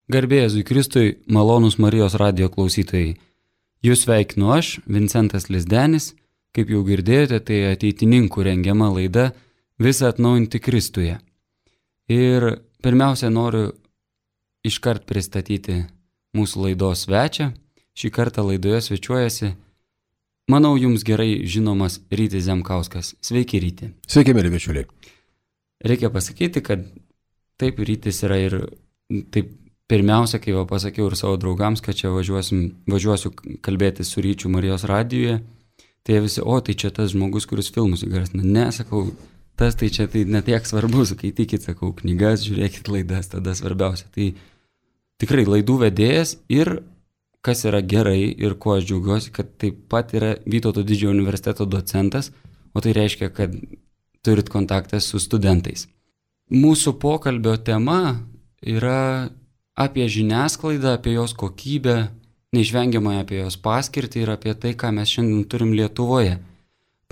Garbė Jėzui Kristui, malonūs Marijos radijo klausytojai. Jūs sveikinu aš, Vincentas Lizdenis. Kaip jau girdėjote, tai ateitininkų rengiama laida Visa atnaujinti Kristuje. Ir pirmiausia, noriu iškart pristatyti mūsų laidos svečią. Šį kartą laidoje svečiuojasi, manau, jums gerai žinomas Rytis Zemkauskas. Sveiki, Ryti. Sveiki, mėly bičiuliai. Reikia pasakyti, kad taip, Rytis yra ir taip pirmiausia, kai jau pasakiau ir savo draugams, kad čia važiuosiu kalbėti su Ryčiu Marijos radijuje, tai jie visi, tai čia tas žmogus, kuris filmus įgarsina. Ne, sakau, tas tai čia tai netiek svarbu, skaitykit, sakau, knygas, žiūrėkit laidas, tada svarbiausia. Tai tikrai laidų vedėjas ir kas yra gerai ir kuo aš džiaugiuosi, kad taip pat yra Vytauto didžiojo universiteto docentas, o tai reiškia, kad turit kontaktą su studentais. Mūsų pokalbio tema yra apie žiniasklaidą, apie jos kokybę, neišvengiamai apie jos paskirtį ir apie tai, ką mes šiandien turim Lietuvoje.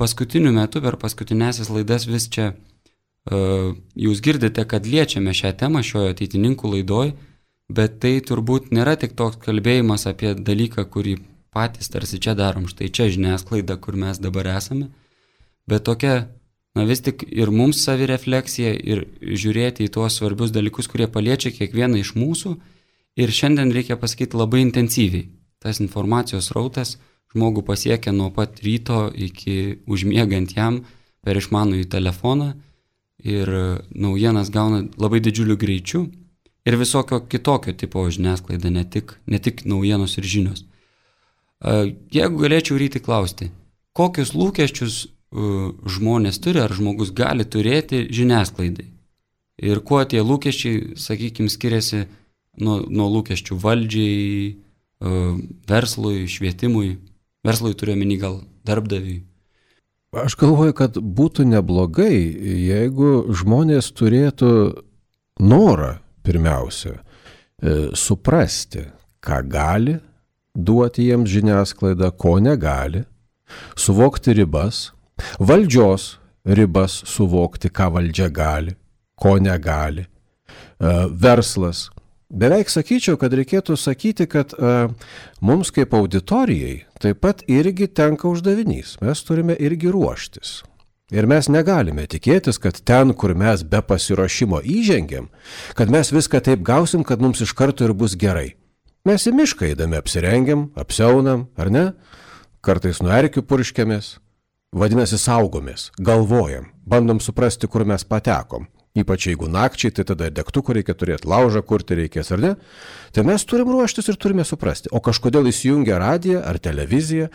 Paskutiniu metu, per paskutinėsias laidas vis čia jūs girdite, kad liečiame šią temą šioje ateitininkų laidoj, bet tai turbūt nėra tik toks kalbėjimas apie dalyką, kurį patys tarsi čia darom, štai čia žiniasklaida, kur mes dabar esame, bet tokia, vis tik ir mums savirefleksija ir žiūrėti į tuos svarbius dalykus, kurie paliečia kiekvieną iš mūsų ir šiandien reikia pasakyti labai intensyviai. Tas informacijos rautas žmogų pasiekia nuo pat ryto iki užmiegant jam per išmanųjį telefoną ir naujienas gauna labai didžiuliu greičiu ir visokio kitokio tipo žiniasklaida, ne tik naujienos ir žinios. Jeigu galėčiau Ryti klausti, kokius lūkesčius žmonės turi ar žmogus gali turėti žiniasklaidai ir kuo tie lūkesčiai, sakykime, skiriasi nuo lūkesčių valdžiai, verslui, švietimui. Verslui turiu omeny gal darbdaviui. Aš galvoju, kad būtų neblogai, jeigu žmonės turėtų norą pirmiausia suprasti, ką gali duoti jiems žiniasklaida, ko negali, suvokti ribas, valdžios ribas suvokti, ką valdžia gali, ko negali, verslas. Beveik sakyčiau, kad reikėtų sakyti, kad mums kaip auditorijai taip pat irgi tenka uždavinys. Mes turime irgi ruoštis. Ir mes negalime tikėtis, kad ten, kur mes be pasiruošimo įžengiam, kad mes viską taip gausim, kad mums iš karto ir bus gerai. Mes į mišką eidami apsirengiam, apsiaunam, ar ne? Kartais nuo erkių purškiamės. Vadinasi, saugomės, galvojam, bandom suprasti, kur mes patekom. Ypač jeigu nakčiai, tai tada degtukų reikia turėti, laužą kurti reikės, ar ne? Tai mes turim ruoštis ir turime suprasti. O kažkodėl įsijungia radiją ar televiziją,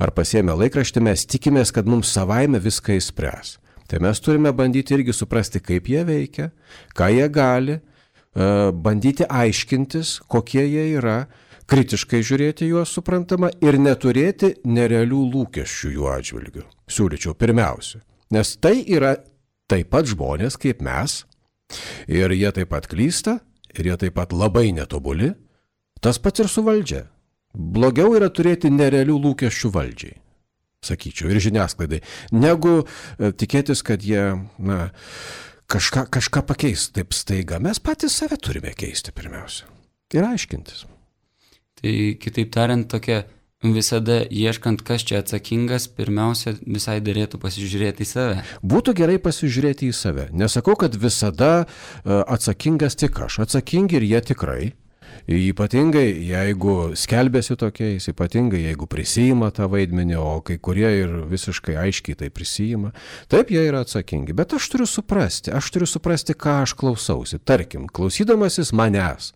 ar pasiėmę laikraštį, mes tikimės, kad mums savaime viską išspręs. Tai mes turime bandyti irgi suprasti, kaip jie veikia, ką jie gali, bandyti aiškintis, kokie jie yra, kritiškai žiūrėti juos suprantama ir neturėti nerealių lūkesčių jų atžvilgių. Siūlyčiau pirmiausia. Nes tai yra taip pat žmonės kaip mes, ir jie taip pat klysta, ir jie taip pat labai netobuli, tas pats ir su valdžia. Blogiau yra turėti nerealių lūkesčių valdžiai, sakyčiau, ir žiniasklaidai, negu tikėtis, kad jie kažką pakeis taip staiga. Mes patys save turime keisti pirmiausia ir aiškintis. Tai kitaip tariant, tokia visada ieškant, kas čia atsakingas, pirmiausia visai dėrėtų pasižiūrėti į save. Būtų gerai pasižiūrėti į save. Nesakau, kad visada atsakingas tik aš. Atsakingi ir jie tikrai. Ypatingai, jeigu skelbėsi tokiais, ypatingai, jeigu prisijima tą vaidmenį, o kai kurie ir visiškai aiškiai tai prisijima. Taip, jie yra atsakingi. Bet aš turiu suprasti, ką aš klausausi. Tarkim, klausydamasis manęs.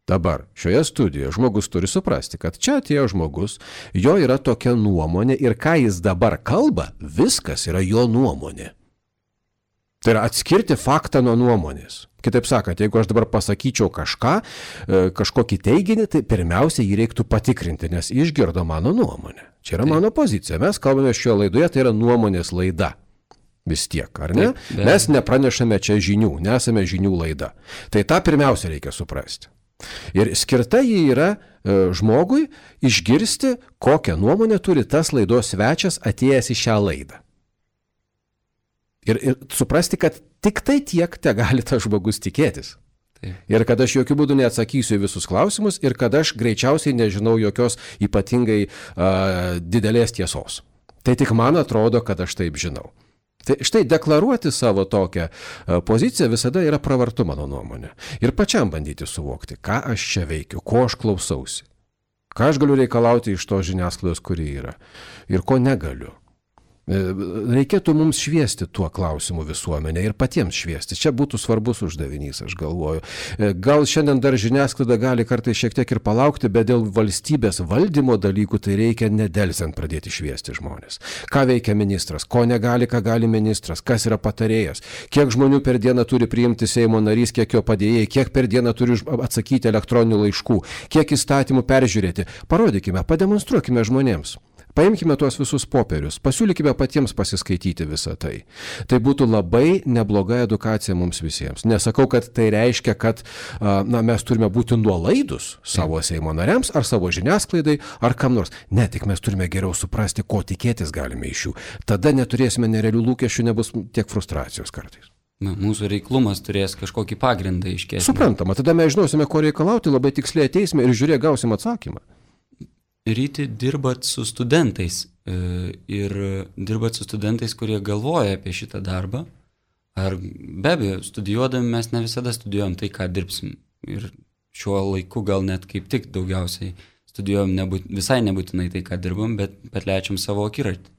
Dabar šioje studijoje žmogus turi suprasti, kad čia atėjo žmogus, jo yra tokia nuomonė ir ką jis dabar kalba, viskas yra jo nuomonė. Tai yra atskirti faktą nuo nuomonės. Kitaip sakant, jeigu aš dabar pasakyčiau kažkokį teiginį, tai pirmiausia jį reiktų patikrinti, nes išgirdo mano nuomonę. Čia yra mano pozicija. Mes kalbame šioje laidoje, tai yra nuomonės laida. Vis tiek, ar ne? Taip, mes nepranešame čia žinių, nesame žinių laida. Tai tą pirmiausia reikia suprasti. Ir skirta jį yra žmogui išgirsti, kokią nuomonę turi tas laidos svečias atėjęs į šią laidą. Ir suprasti, kad tik tai tiek te gali tas žmogus tikėtis. Ir kad aš jokių būdų neatsakysiu į visus klausimus ir kad aš greičiausiai nežinau jokios ypatingai didelės tiesos. Tai tik man atrodo, kad aš taip žinau. Tai štai deklaruoti savo tokią poziciją visada yra pravartu, mano nuomonė. Ir pačiam bandyti suvokti, ką aš čia veikiu, ko aš klausausi, ką aš galiu reikalauti iš to žiniasklaidos, kuri yra ir ko negaliu. Reikėtų mums šviesti tuo klausimu visuomenę ir patiems šviesti. Čia būtų svarbus uždavinys, aš galvoju. Gal šiandien dar žiniasklaida gali kartais šiek tiek ir palaukti, bet dėl valstybės valdymo dalykų tai reikia nedelsiant pradėti šviesti žmonės. Ką veikia ministras, ko negali, ką gali ministras, kas yra patarėjas, kiek žmonių per dieną turi priimti Seimo narys, kiek jo padėjėjai, kiek per dieną turi atsakyti elektroninių laiškų, kiek įstatymų peržiūrėti. Parodykime, pademonstruokime žmonėms. Paimkime tuos visus popierius, pasiūlykime patiems pasiskaityti visą tai. Tai būtų labai nebloga edukacija mums visiems. Nesakau, kad tai reiškia, kad mes turime būti nuolaidus savo Seimo nariams ar savo žiniasklaidai ar kam nors. Ne, tik mes turime geriau suprasti, ko tikėtis galime iš jų. Tada neturėsime nerealių lūkesčių, nebus tiek frustracijos kartais. Mūsų reiklumas turės kažkokį pagrindą iškėsti. Suprantama, tada mes žinosime, ko reikalauti, labai tiksliai ateisime ir žiūrėk, gausim atsakymą. Ryti, dirbat su studentais ir dirbat su studentais, kurie galvoja apie šitą darbą. Ar be abejo, studijuodami mes ne visada studijuojam tai, ką dirbsim. Ir šiuo laiku gal net kaip tik daugiausiai studijuojam visai nebūtinai tai, ką dirbam, bet plečiam savo akiratį.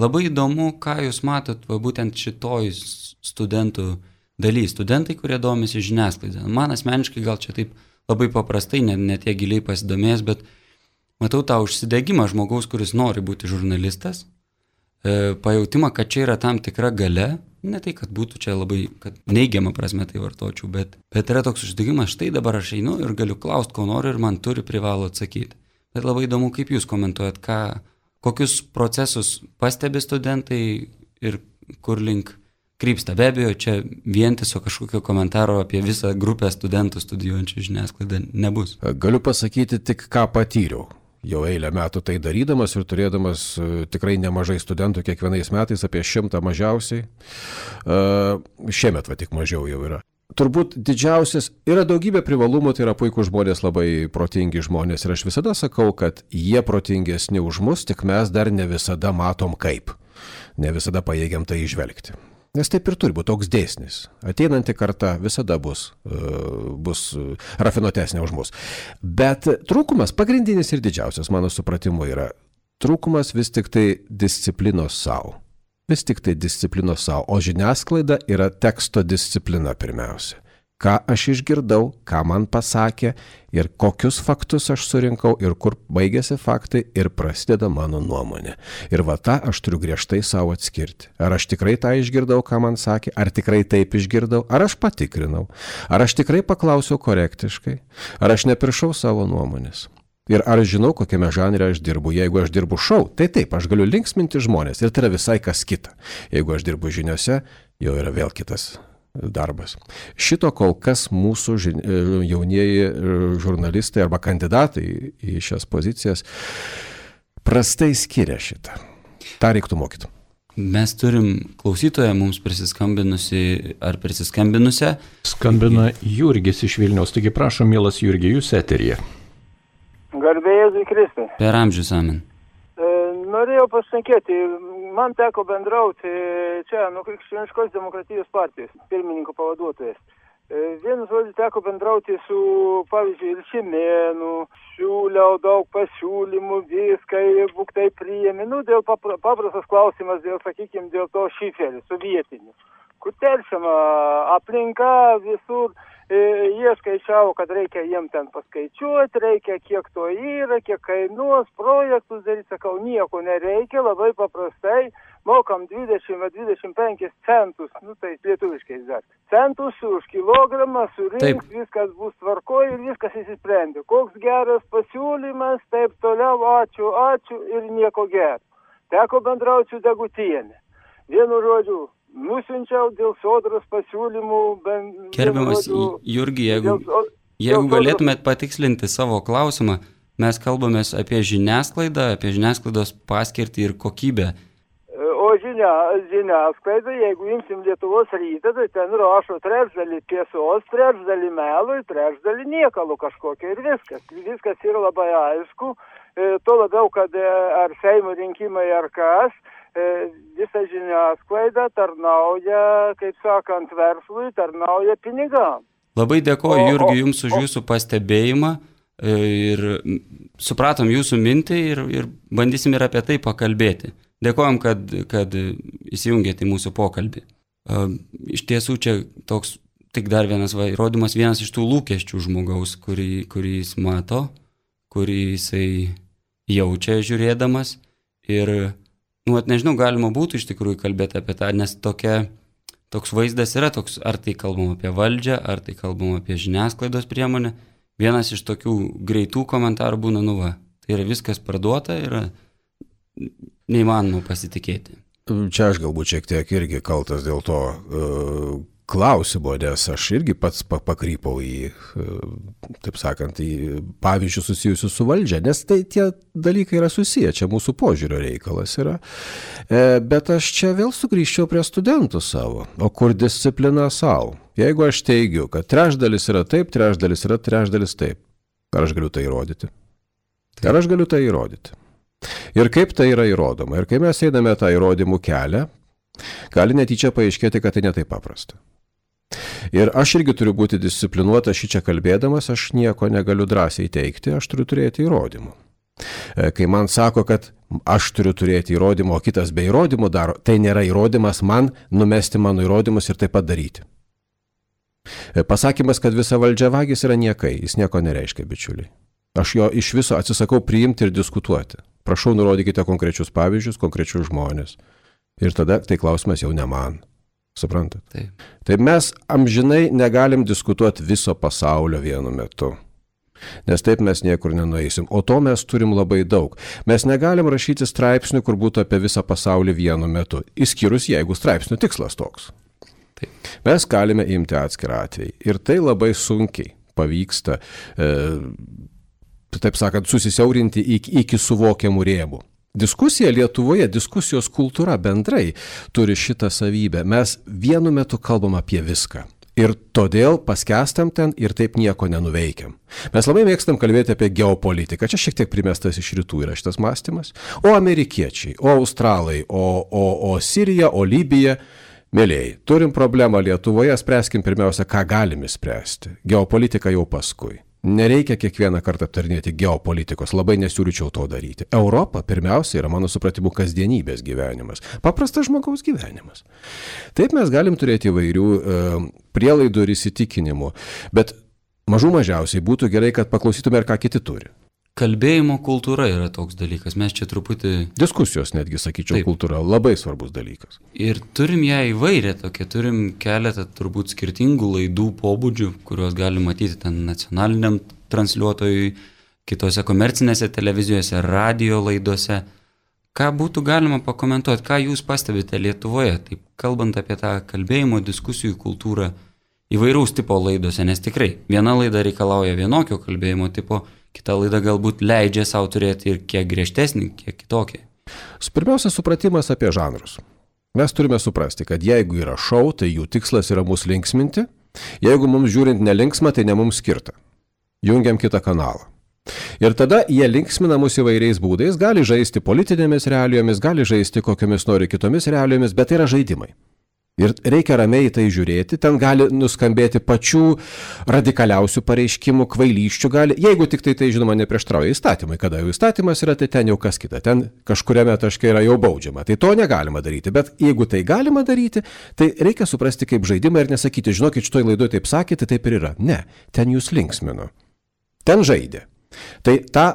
Labai įdomu, ką jūs matot būtent šitoj studentų daly. Studentai, kurie domisi žiniasklaidą. Man asmeniškai gal čia taip labai paprastai, ne tiek giliai pasidomėjęs, bet matau tą užsidegimą žmogaus, kuris nori būti žurnalistas, pajautimą, kad čia yra tam tikra galia, ne tai, kad būtų čia labai, kad neigiamą prasme tai vartočiau, bet yra toks užsidegimas, štai dabar aš einu ir galiu klausti, ko noriu ir man privalo atsakyti. Bet labai įdomu, kaip jūs komentuojat, kokius procesus pastebi studentai ir kur link krypsta. Be abejo, čia vientiso kažkokio komentaro apie visą grupę studentų studijuojančių žiniasklaidą nebus. Galiu pasakyti tik, ką patyriau. Jau eilę metų tai darydamas ir turėdamas tikrai nemažai studentų kiekvienais metais, apie 100 mažiausiai. Šiemet tik mažiau jau yra. Turbūt didžiausias, yra daugybė privalumų, tai yra puikūs žmonės, labai protingi žmonės. Ir aš visada sakau, kad jie protingesni už mus, tik mes dar ne visada matom kaip. Ne visada pajėgiam tai išvelgti. Nes taip ir turi būti toks dėsnis. Ateinanti karta visada bus rafinuotesnė už mus. Bet trūkumas, pagrindinis ir didžiausias, mano supratimu, yra trūkumas vis tik tai disciplinos savo. Vis tik tai disciplinos savo. O žiniasklaida yra teksto disciplina pirmiausia. Ką aš išgirdau, ką man pasakė ir kokius faktus aš surinkau ir kur baigėsi faktai ir prasideda mano nuomonė. Ir tą aš turiu griežtai savo atskirti. Ar aš tikrai tą išgirdau, ką man sakė, ar tikrai taip išgirdau, ar aš patikrinau, ar aš tikrai paklausiau korektiškai, ar aš nepiršau savo nuomonės. Ir ar žinau, kokiame žanre aš dirbu. Jeigu aš dirbu šou, tai taip, aš galiu linksminti žmonės ir tai yra visai kas kita. Jeigu aš dirbu žiniose, jau yra vėl kitas darbas. Šito kol kas mūsų jaunieji žurnalistai arba kandidatai į šias pozicijas prastai skiria šitą. Ta reiktų mokyti. Mes turim klausytoją mums prisiskambinusi ar prisiskambinusią. Skambina Jurgis iš Vilniaus. Taigi prašom, mielas Jurgi, jūs eteryje. Garbė Jėzui Kristui. Per amžius, amen. Norėjau pasakyti, man teko bendrauti čia nuo Krikščioniškos demokratijos partijos pirmininko pavaduotojas. Vienu žodžiu teko bendrauti su, pavyzdžiui, Ilšimėnu, siūliau daug pasiūlymų, viską, būk tai priėmė. Dėl paprastas klausimas, sakykime, dėl to šiferį, sovietinį. Kur teršiama aplinka visur. Jie skaičiavo, kad reikia jiem ten paskaičiuoti, reikia kiek to yra, kiek kainuos, projektus daryti, sakau, nieko nereikia, labai paprastai, mokam 20-25 centus, tai lietuviškai dar, centus už kilogramą, surinks, viskas bus tvarkoj ir viskas įsisprendė. Koks geras pasiūlymas, taip toliau, ačiū ir nieko gero. Teko bendrauti su Degutienė. Vienu žodžiu, nusiunčiau dėl sodros pasiūlymų. Gerbiamas Jurgi, jeigu galėtumėt patikslinti savo klausimą, mes kalbamės apie žiniasklaidą, apie žiniasklaidos paskirtį ir kokybę. O žiniasklaida, jeigu imsim Lietuvos rytą, tai ten rašo trečdalį tiesos, trečdalį melų, trečdalį niekalų kažkokio ir viskas. Viskas yra labai aišku, tuo labiau, kad ar Seimo rinkimai ar kas, visa žiniasklaida tarnauja, kaip sakant, verslui, tarnauja pinigam. Labai dėkoju, Jurgi, Jums už Jūsų pastebėjimą ir supratom Jūsų mintį ir bandysim ir apie tai pakalbėti. Dėkojom, kad įsijungėte į mūsų pokalbį. Iš tiesų čia toks tik dar vienas įrodymas, vienas iš tų lūkesčių žmogaus, kurį jis mato, kurį jisai jaučia žiūrėdamas ir, nežinau, galima būtų iš tikrųjų kalbėti apie tą, nes toks vaizdas yra toks, ar tai kalbam apie valdžią, ar tai kalbam apie žiniasklaidos priemonę. Vienas iš tokių greitų komentarų būna, tai yra viskas parduota, yra neįmanoma pasitikėti. Čia aš galbūt šiek tiek irgi kaltas dėl to klausimo, nes aš irgi pats pakrypau į, taip sakant, į pavyzdžius susijusius su valdžia, nes tai tie dalykai yra susiję, čia mūsų požiūrio reikalas yra. Bet aš čia vėl sugrįžčiau prie studentų savo, o kur disciplina savo. Jeigu aš teigiu, kad trečdalis yra taip, trečdalis yra trečdalis taip, ar aš galiu tai įrodyti? Ar aš galiu tai įrodyti? Ir kaip tai yra įrodoma? Ir kai mes einame tą įrodymų kelią, gali netyčia paaiškėti, kad tai netai paprasta. Ir aš irgi turiu būti disciplinuotas šičia kalbėdamas, aš nieko negaliu drąsiai teikti, aš turiu turėti įrodymų. Kai man sako, kad aš turiu turėti įrodymų, o kitas be įrodymų daro, tai nėra įrodymas man numesti mano įrodymus ir taip pat daryti. Pasakymas, kad visa valdžia vagis yra niekai, jis nieko nereiškia, bičiuliai. Aš jo iš viso atsisakau priimti ir diskutuoti. Prašau, nurodykite konkrečius pavyzdžius, konkrečius žmonės. Ir tada tai klausimas jau ne man. Suprantat? Taip. Tai mes amžinai negalim diskutuoti viso pasaulio vienu metu. Nes taip mes niekur nenueisim. O to mes turim labai daug. Mes negalim rašyti straipsnių, kur būtų apie visą pasaulį vienu metu. Išskyrus, jeigu straipsnių tikslas toks. Taip. Mes galime imti atskirą atvejį. Ir tai labai sunkiai pavyksta, taip sakant, susisiaurinti iki suvokiamų rėmų. Diskusija Lietuvoje, diskusijos kultūra bendrai turi šitą savybę. Mes vienu metu kalbam apie viską. Ir todėl paskestam ten ir taip nieko nenuveikiam. Mes labai mėgstam kalbėti apie geopolitiką. Čia šiek tiek primestas iš rytų yra šitas mąstymas. O amerikiečiai, o australai, o Sirija, o Libija. Mėlėjai, turim problemą Lietuvoje, spręskim pirmiausia, ką galime spręsti. Geopolitika jau paskui. Nereikia kiekvieną kartą aptarnėti geopolitikos, labai nesiūlyčiau to daryti. Europa pirmiausia yra, mano supratimu, kasdienybės gyvenimas, paprastas žmogaus gyvenimas. Taip mes galim turėti įvairių prielaidų ir įsitikinimų, bet mažiausiai būtų gerai, kad paklausytume ir ką kiti turi. Kalbėjimo kultūra yra toks dalykas, mes čia truputį... Diskusijos netgi, sakyčiau, taip. Kultūra, labai svarbus dalykas. Ir turim ją įvairią tokią, turim keletą turbūt skirtingų laidų pobūdžių, kuriuos galim matyti ten nacionaliniam transliuotojui, kitose komercinėse televizijose, radio laidose. Ką būtų galima pakomentuoti, ką jūs pastebite Lietuvoje, taip kalbant apie tą kalbėjimo diskusijų kultūrą įvairaus tipo laidose, nes tikrai viena laida reikalauja vienokio kalbėjimo tipo, kita laida galbūt leidžia savo turėti ir kiek griežtesnį, kiek kitokį. Pirmiausia, supratimas apie žanrus. Mes turime suprasti, kad jeigu yra šou, tai jų tikslas yra mus linksminti. Jeigu mums žiūrint nelinksma, tai ne mums skirta. Jungiam kitą kanalą. Ir tada jie linksmina mus įvairiais būdais, gali žaisti politinėmis realijomis, gali žaisti kokiamis nori kitomis realijomis, bet tai yra žaidimai. Ir reikia ramiai tai žiūrėti, ten gali nuskambėti pačių radikaliausių pareiškimų, kvailyščių gali, jeigu tik tai žinoma neprieštrauja įstatymai, kada jau įstatymas yra, tai ten jau kas kita, ten kažkuriame taške yra jau baudžiama, tai to negalima daryti, bet jeigu tai galima daryti, tai reikia suprasti kaip žaidimą ir nesakyti, žinokit, šitoj laidoje taip sakėte, taip ir yra. Ne, ten jūs linksmino, ten žaidė. Tai tą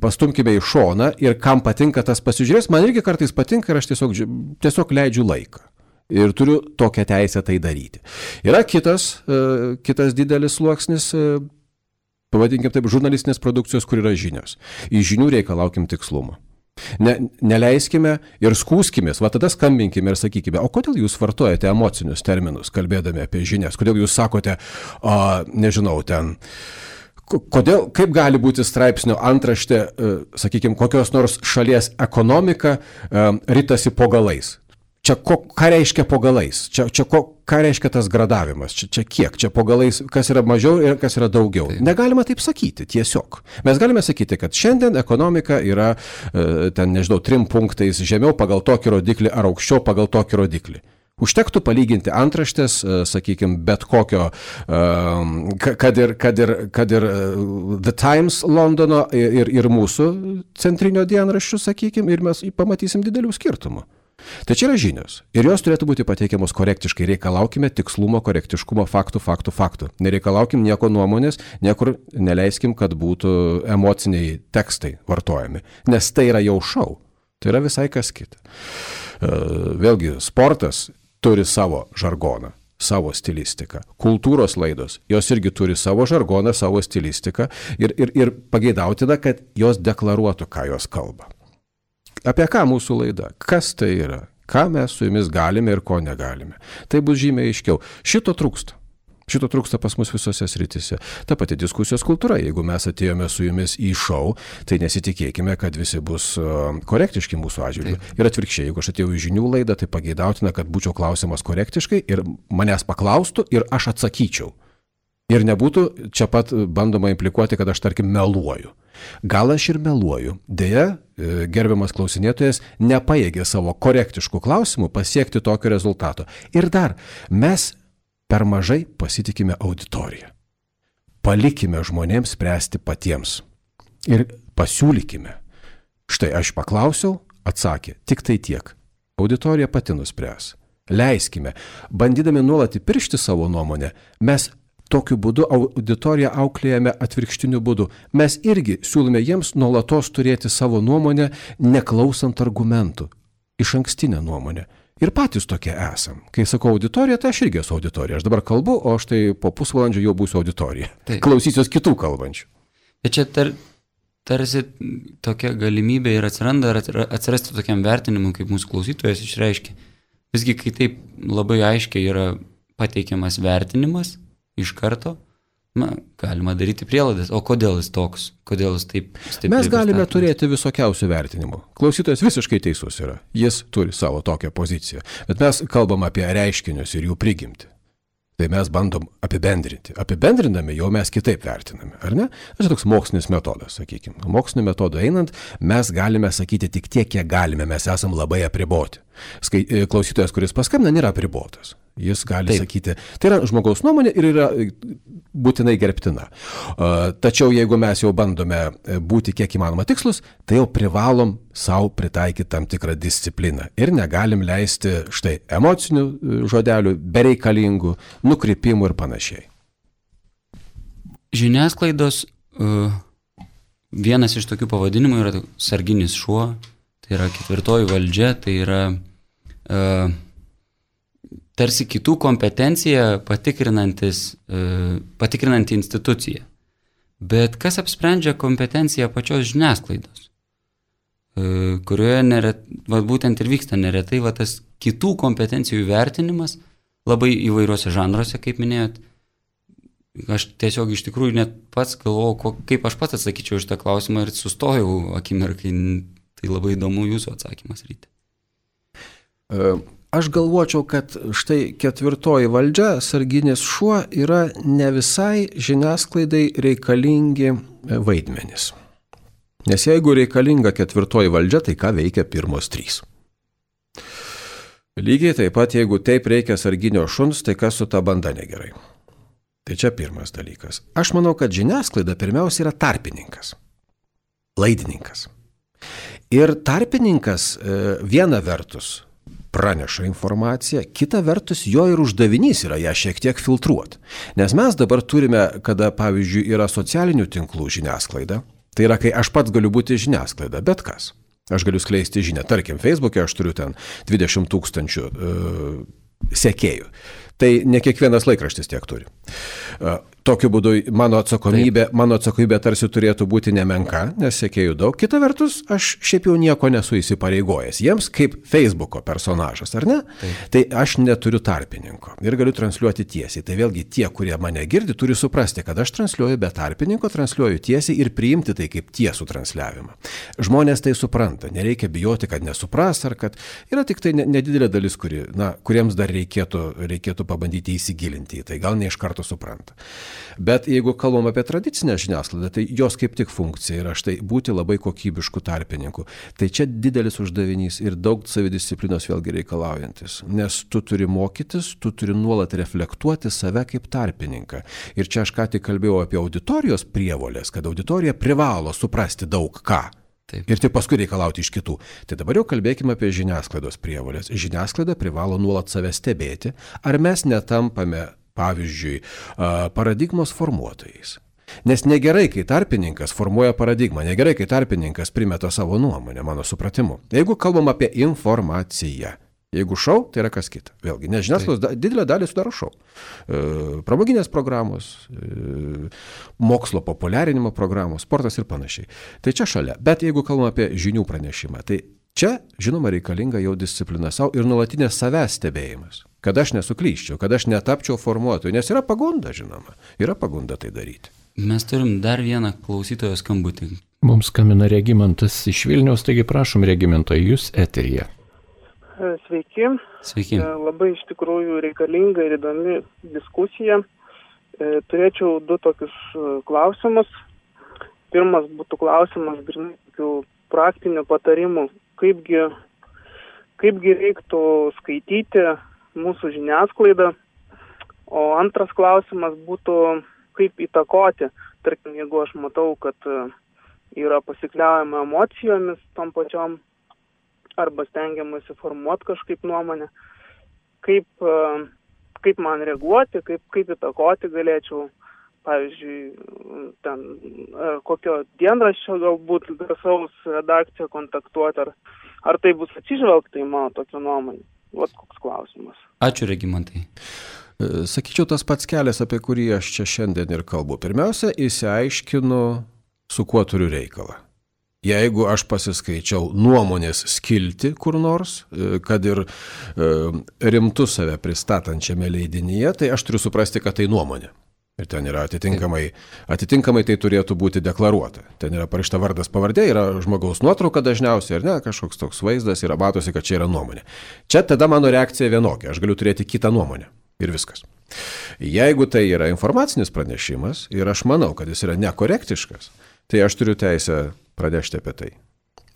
pastumkime į šoną ir kam patinka tas pasižiūrės, man irgi kartais patinka ir aš tiesiog leidžiu laiką. Ir turiu tokią teisę tai daryti. Yra kitas didelis sluoksnis, pavadinkim taip, žurnalistinės produkcijos, kur yra žinios. Iš žinių reikalaukim tikslumo. Neleiskime ir skūskimės, va tada skambinkime ir sakykime, o kodėl jūs vartojate emocinius terminus, kalbėdami apie žinias, kodėl jūs sakote, nežinau, ten... Kodėl, kaip gali būti straipsnio antraštė, sakykime, kokios nors šalies ekonomika ritasi po galais. Čia ką reiškia po galais? Ką reiškia tas gradavimas? Čia kiek? Čia po galais, kas yra mažiau ir kas yra daugiau? Taip. Negalima taip sakyti tiesiog. Mes galime sakyti, kad šiandien ekonomika yra, 3 punktais žemiau pagal tokį rodiklį ar aukščiau pagal tokį rodiklį. Užtektų palyginti antraštės, sakykime, bet kokio, kad ir The Times Londono ir mūsų centrinio dienraščių, sakykime, ir mes pamatysim didelių skirtumų. Tai čia yra žinios. Ir jos turėtų būti pateikiamos korektiškai. Reikalaukime tikslumo, korektiškumo, faktų. Nereikalaukim nieko nuomonės, niekur neleiskim, kad būtų emociniai tekstai vartojami. Nes tai yra jau šou. Tai yra visai kas kita. Vėlgi, sportas turi savo žargoną, savo stilistiką. Kultūros laidos, jos irgi turi savo žargoną, savo stilistiką ir pageidautina, kad jos deklaruotų, ką jos kalba. Apie ką mūsų laida? Kas tai yra? Ką mes su jumis galime ir ko negalime? Tai bus žymiai aiškiau. Šito trūksta. Šito trūksta pas mus visose srityse. Ta pati diskusijos kultūra. Jeigu mes atėjome su jumis į šou, tai nesitikėkime, kad visi bus korektiški mūsų atžvilgiu. Ir atvirkščiai, jeigu aš atėjau į žinių laidą, tai pageidautina, kad būčiau klausimas korektiškai ir manęs paklaustų ir aš atsakyčiau. Ir nebūtų čia pat bandoma implikuoti, kad aš, tarkim, meluoju. Gal aš ir meluoju. Deja, gerbiamas klausinėtojas nepajėgė savo korektiškų klausimų pasiekti tokio rezultato. Ir dar, mes per mažai pasitikime auditoriją. Palikime žmonėms spręsti patiems. Ir pasiūlykime. Štai aš paklausiau, atsakė, tik tai tiek. Auditorija pati nuspręs. Leiskime. Bandydami nuolat įpiršti savo nuomonę, mes tokiu būdu auditoriją auklėjame atvirkštiniu būdu. Mes irgi siūlome jiems nuolatos turėti savo nuomonę, neklausant argumentų. Išankstinę nuomonę. Ir patys tokie esam. Kai sakau auditorija, tai aš irgi esu auditorija. Aš dabar kalbu, o štai po pusvalandžio jau būsiu auditorija. Taip. Klausysiuos kitų kalbančių. Bet čia tarsi tokia galimybė ir atsirasti tokiam vertinimui, kaip mūsų klausytojas išreiškia. Visgi, kai taip labai aiškiai yra pateikiamas vertinimas iš karto, galima daryti prielaidas. O kodėl jis toks? Kodėl jis taip stipriai? Mes galime turėti visokiausių vertinimų. Klausytojas visiškai teisus yra. Jis turi savo tokią poziciją. Bet mes kalbam apie reiškinius ir jų prigimtį. Tai mes bandom apibendrinti. Apibendrinami jau mes kitaip vertiname, ar ne? Tai toks mokslinis metodas, sakykime. Mokslinio metodo einant, mes galime sakyti tik tiek, kiek galime. Mes esam labai apriboti. Klausytojas, kuris paskambina, nėra apribotas. Jis gali sakyti, tai yra žmogaus nuomonė ir yra būtinai gerbtina. Tačiau jeigu mes jau bandome būti kiek įmanoma tikslus, tai jau privalom savo pritaikyti tam tikrą discipliną. Ir negalim leisti štai emocinių žodelių, bereikalingų, nukrypimų ir panašiai. Žiniasklaidos vienas iš tokių pavadinimų yra sarginis šuo, tai yra ketvirtoji valdžia, tai yra tarsi kitų kompetenciją patikrinanti institucija. Bet kas apsprendžia kompetenciją pačios žiniasklaidos, kurioje būtent ir vyksta neretai tas kitų kompetencijų vertinimas labai įvairiuose žanruose, kaip minėjot. Aš tiesiog iš tikrųjų net pats galvojau, kaip aš pats atsakyčiau šitą klausimą ir sustojau akimirkai. Tai labai įdomu jūsų atsakymas, Ryti. Aš galvočiau, kad štai ketvirtoji valdžia, sarginis šuo, yra ne visai žiniasklaidai reikalingi vaidmenys. Nes jeigu reikalinga ketvirtoji valdžia, tai ką veikia pirmos 3? Lygiai taip pat, jeigu taip reikia sarginio šuns, tai kas su ta banda negerai. Tai čia pirmas dalykas. Aš manau, kad žiniasklaida pirmiausia yra tarpininkas, laidininkas. Ir tarpininkas viena vertus praneša informaciją, kita vertus jo ir uždavinys yra ją šiek tiek filtruoti. Nes mes dabar turime, kada, pavyzdžiui, yra socialinių tinklų žiniasklaida, tai yra, kai aš pats galiu būti žiniasklaida, bet kas. Aš galiu skleisti žinią. Tarkim, Facebook'e aš turiu ten 20 000 sekėjų. Tai ne kiekvienas laikraštis tiek turi. Tokiu būdu mano atsakomybė tarsi turėtų būti nemenka, nes sekėjų daug. Kita vertus, aš šiaip jau nieko nesu įsipareigojęs. Jiems kaip Facebooko personažas, ar ne? Taip. Tai aš neturiu tarpininko ir galiu transliuoti tiesiai. Tai vėlgi tie, kurie mane girdi, turi suprasti, kad aš transliuoju be tarpininko, transliuoju tiesiai ir priimti tai kaip tiesų transliavimą. Žmonės tai supranta. Nereikia bijoti, kad nesupras, ar kad yra tik tai nedidelė dalis, kuriems dar reikėtų pabandyti įsigilinti į tai. Gal ne iš karto supranta. Bet jeigu kalbam apie tradicinę žiniasklaidą, tai jos kaip tik funkcija yra štai būti labai kokybiškų tarpininkų. Tai čia didelis uždavinys ir daug savidisciplinos vėlgi reikalaujantis. Nes tu turi mokytis, tu turi nuolat reflektuoti save kaip tarpininką. Ir čia aš ką tik kalbėjau apie auditorijos prievolės, kad auditorija privalo suprasti daug ką. Taip. Ir tik paskui reikalauti iš kitų. Tai dabar jau kalbėkime apie žiniasklaidos prievolės. Žiniasklaida privalo nuolat save stebėti, ar mes netampame, pavyzdžiui, paradigmos formuotojais. Nes negerai, kai tarpininkas formuoja paradigmą, negerai, kai tarpininkas primeta savo nuomonę, mano supratimu. Jeigu kalbam apie informaciją, jeigu šou, tai yra kas kita. Vėlgi, nes žiniasklaidos didelę dalį sudaro šou. Pramoginės programos, mokslo populiarinimo programos, sportas ir panašiai. Tai čia šalia. Bet jeigu kalbam apie žinių pranešimą, tai čia, žinoma, reikalinga jau disciplina savo ir nuolatinės savęs stebėjimas. Kad aš nesuklyščiau, kad aš netapčiau formuotoju, nes yra pagunda, žinoma, yra pagunda tai daryti. Mes turim dar vieną klausytojo skambutį. Mums skambina Regimantas iš Vilniaus, taigi prašom, Regimantai, jūs eteryje. Sveiki. Sveiki. Labai iš tikrųjų reikalinga ir įdomi diskusija. Turėčiau du tokius klausimus. Pirmas būtų klausimas grynai tokių praktinių patarimų, kaipgi reiktų skaityti mūsų žiniasklaidą. O antras klausimas būtų, kaip įtakoti. Tarkim, jeigu aš matau, kad yra pasikliaujama emocijomis tom pačiom, arba stengiamasi formuoti kažkaip nuomonę, kaip man reaguoti, kaip įtakoti galėčiau, pavyzdžiui, ten kokio dienraščio galbūt garsaus redakciją kontaktuoti, ar tai bus atsižvelgta į mano tokią nuomonę. Vat koks klausimas. Ačiū, Regimantai. Sakyčiau, tas pats kelias, apie kurį aš čia šiandien ir kalbu. Pirmiausia, išsiaiškinu, su kuo turiu reikalą. Jeigu aš pasiskaičiau nuomonės skilti kur nors, kad ir rimtu save pristatančiame leidinyje, tai aš turiu suprasti, kad tai nuomonė. Ir ten yra atitinkamai tai turėtų būti deklaruota. Ten yra parašyta vardas pavardė, yra žmogaus nuotrauka dažniausiai, ar ne, kažkoks toks vaizdas, yra matosi, kad čia yra nuomonė. Čia tada mano reakcija vienokia, aš galiu turėti kitą nuomonę ir viskas. Jeigu tai yra informacinis pranešimas ir aš manau, kad jis yra nekorektiškas, tai aš turiu teisę pranešti apie tai.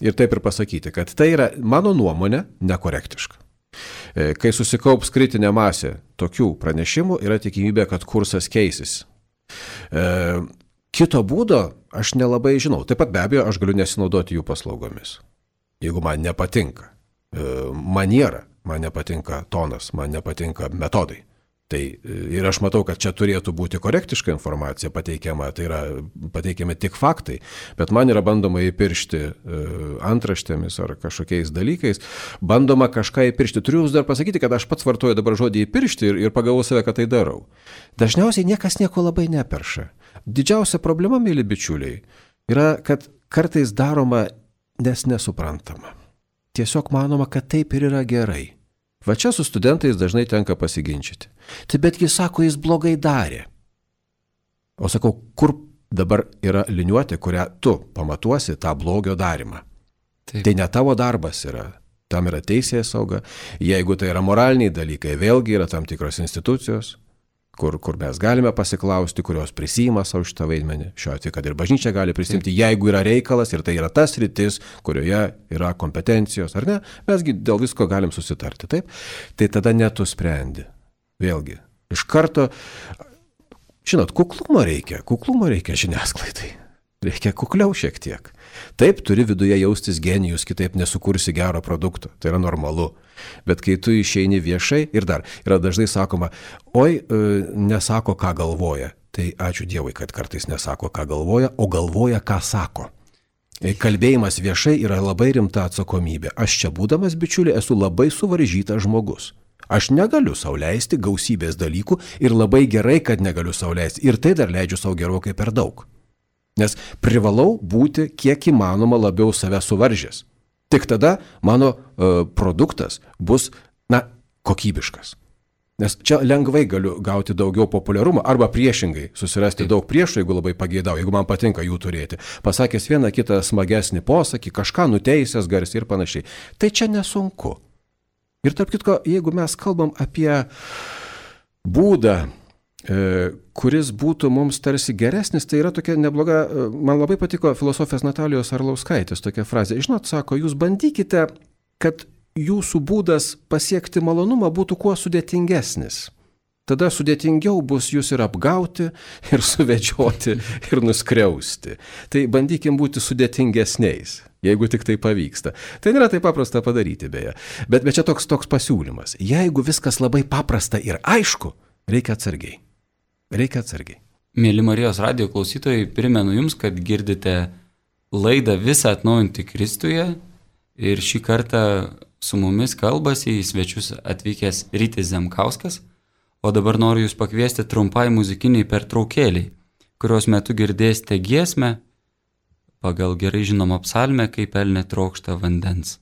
Ir taip ir pasakyti, kad tai yra mano nuomonė nekorektiška. Kai susikaups kritinė masė tokių pranešimų, yra tikimybė, kad kursas keisis. Kito būdo aš nelabai žinau. Taip pat be abejo, aš galiu nesinaudoti jų paslaugomis. Jeigu man nepatinka maniera, man nepatinka tonas, man nepatinka metodai. Tai ir aš matau, kad čia turėtų būti korektiška informacija pateikiama, tai yra pateikiami tik faktai, bet man yra bandoma įpiršti antraštėmis ar kažkokiais dalykais, bandoma kažką įpiršti. Turiu jūs dar pasakyti, kad aš pats vartoju dabar žodį įpiršti ir pagavau save, kad tai darau. Dažniausiai niekas nieko labai neperša. Didžiausia problema, mėly bičiuliai, yra, kad kartais daroma, nes nesuprantama. Tiesiog manoma, kad taip ir yra gerai. Va čia su studentais dažnai tenka pasiginčyti. Tai betgi sako, jis blogai darė. O sakau, kur dabar yra liniuotė, kurią tu pamatuosi tą blogio darymą. Taip. Tai ne tavo darbas yra. Tam yra teisės sauga. Jeigu tai yra moraliniai dalykai, vėlgi yra tam tikros institucijos, kur mes galime pasiklausti, kurios prisima savo šitą vaidmenį. Šiuo atveju, kad ir bažnyčia gali prisimti, jeigu yra reikalas ir tai yra tas sritis, kurioje yra kompetencijos, ar ne, mesgi dėl visko galim susitarti, taip? Tai tada netu sprendi. Vėlgi, iš karto, žinot, kuklumo reikia žiniasklaidai. Reikia kukliau šiek tiek. Taip, turi viduje jaustis genijus, kitaip nesukursi gero produkto. Tai yra normalu. Bet kai tu išeini viešai ir dar, yra dažnai sakoma, nesako, ką galvoja. Tai ačiū Dievui, kad kartais nesako, ką galvoja, o galvoja, ką sako. Kalbėjimas viešai yra labai rimta atsakomybė. Aš čia būdamas, bičiuli, esu labai suvaržytas žmogus. Aš negaliu sau leisti gausybės dalykų ir labai gerai, kad negaliu sau leisti. Ir tai dar leidžiu sau gerokai per daug. Nes privalau būti kiek įmanoma labiau save suvaržęs. Tik tada mano produktas bus, kokybiškas. Nes čia lengvai galiu gauti daugiau populiarumo arba priešingai susirasti daug priešų, jeigu labai pageidau, jeigu man patinka jų turėti. Pasakęs vieną kitą smagesnį posakį, kažką nuteisęs garsiai ir panašiai. Tai čia nesunku. Ir tarp kitko, jeigu mes kalbam apie būdą, kuris būtų mums tarsi geresnis, tai yra tokia nebloga, man labai patiko filosofės Natalijos Arlauskaitės tokia frazė. Žinot, sako, jūs bandykite, kad jūsų būdas pasiekti malonumą būtų kuo sudėtingesnis. Tada sudėtingiau bus jūs ir apgauti, ir suvedžioti, ir nuskriausti. Tai bandykim būti sudėtingesniais, jeigu tik tai pavyksta. Tai nėra taip paprasta padaryti beje. Bet čia toks pasiūlymas. Jeigu viskas labai paprasta ir aišku, reikia atsargiai. Reikia atsargiai. Mėly Marijos radijo klausytojai, primenu Jums, kad girdite laidą Visą atnaujinti Kristuje ir šį kartą su mumis kalbasi į svečius atvykęs Rytis Zemkauskas, o dabar noriu Jūs pakviesti trumpai muzikiniai pertraukėliai, kurios metu girdėsite giesmę pagal gerai žinomą psalmę, kaip elnė trokšta vandens.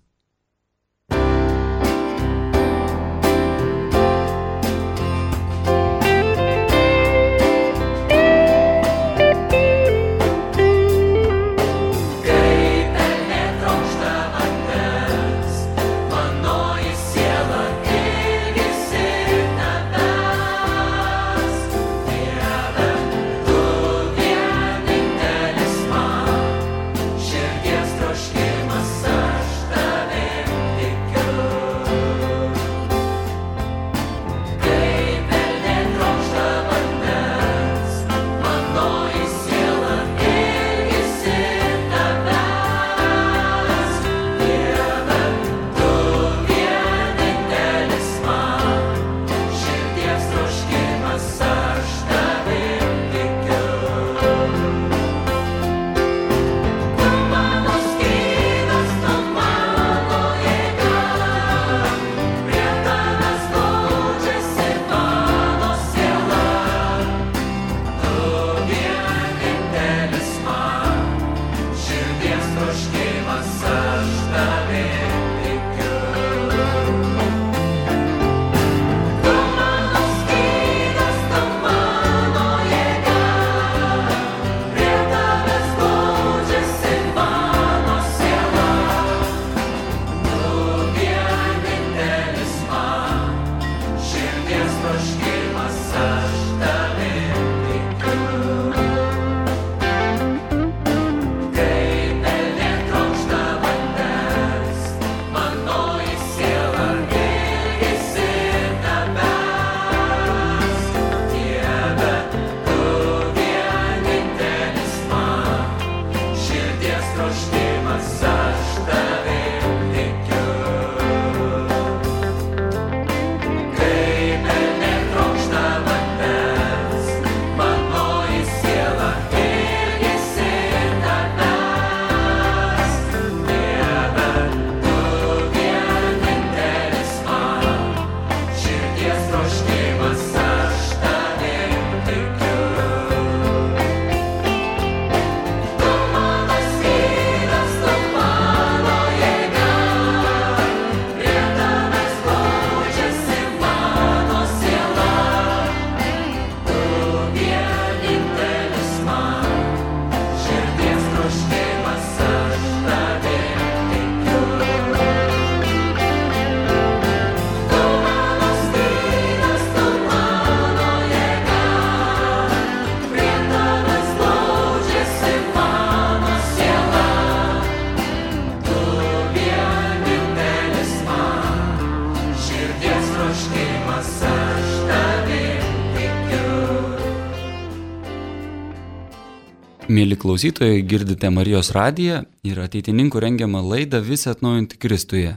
Mėly klausytojai, girdite Marijos radiją ir ateitininkų rengiamą laidą Visą atnaujinti Kristuje,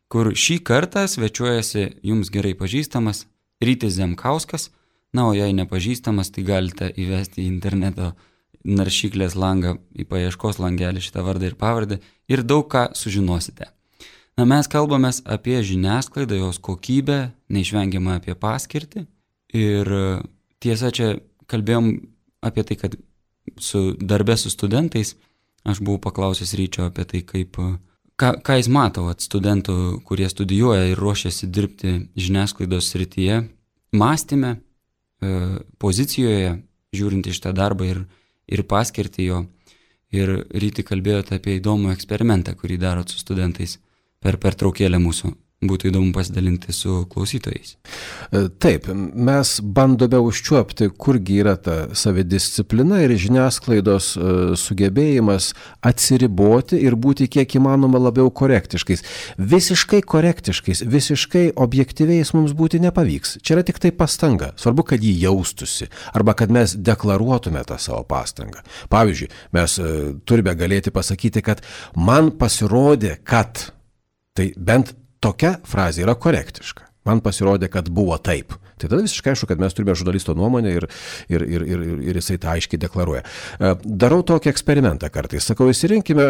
kur šį kartą svečiuojasi jums gerai pažįstamas Rytis Zemkauskas, o jei nepažįstamas, tai galite įvesti į interneto naršyklės langą, į paieškos langelį šitą vardą ir pavardę ir daug ką sužinosite. Na, mes kalbamės apie žiniasklaidą, jos kokybę, neišvengiamą apie paskirtį. Ir tiesa, čia kalbėjom apie tai, kad darbė su studentais, aš buvau paklausęs Ryčio apie tai, ką jis mato studentų, kurie studijuoja ir ruošiasi dirbti žiniasklaidos srityje, mąstyme, pozicijoje, žiūrint iš tą darbą ir paskirtį jo. Ir Ryti kalbėjote apie įdomų eksperimentą, kurį darot su studentais per pertraukėlę mūsų. Būtų įdomu pasidalinti su klausytojais. Taip, mes bandome užčiuopti, kurgi yra ta savidisciplina ir žiniasklaidos sugebėjimas atsiriboti ir būti kiek įmanoma labiau korektiškais. Visiškai korektiškais, visiškai objektyviais mums būti nepavyks. Čia yra tik tai pastanga. Svarbu, kad jį jaustųsi arba kad mes deklaruotume tą savo pastangą. Pavyzdžiui, mes turime galėti pasakyti, kad man pasirodė, kad tai bent tokia frazė yra korektiška. Man pasirodė, kad buvo taip. Tai tada visiškai aišku, kad mes turime žurnalisto nuomonę ir jisai tą aiškiai deklaruoja. Darau tokį eksperimentą kartais. Sakau, įsirinkime